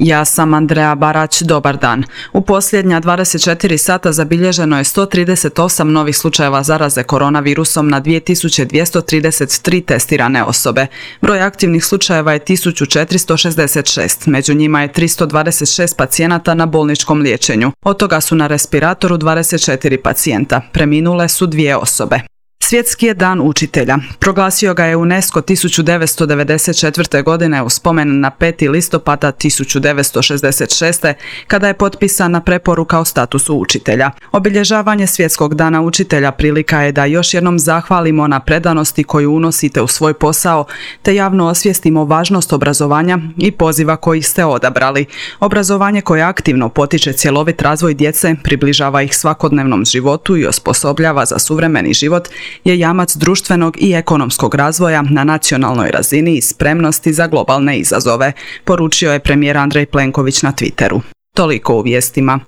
Ja sam Andrea Barać, dobar dan. U posljednja 24 sata zabilježeno je 138 novih slučajeva zaraze koronavirusom na 2233 testirane osobe. Broj aktivnih slučajeva je 1466, među njima je 326 pacijenata na bolničkom liječenju. Od toga su na respiratoru 24 pacijenta, preminule su 2 osobe. Svjetski je dan učitelja. Proglasio ga je UNESCO 1994. godine u spomen na 5. listopada 1966. kada je potpisana preporuka o statusu učitelja. Obilježavanje Svjetskog dana učitelja prilika je da još jednom zahvalimo na predanosti koju unosite u svoj posao, te javno osvijestimo važnost obrazovanja i poziva koji ste odabrali. Obrazovanje koje aktivno potiče cjelovit razvoj djece, približava ih svakodnevnom životu i osposobljava za suvremeni život, je jamac društvenog i ekonomskog razvoja na nacionalnoj razini i spremnosti za globalne izazove, poručio je premijer Andrej Plenković na Twitteru. Toliko u vijestima.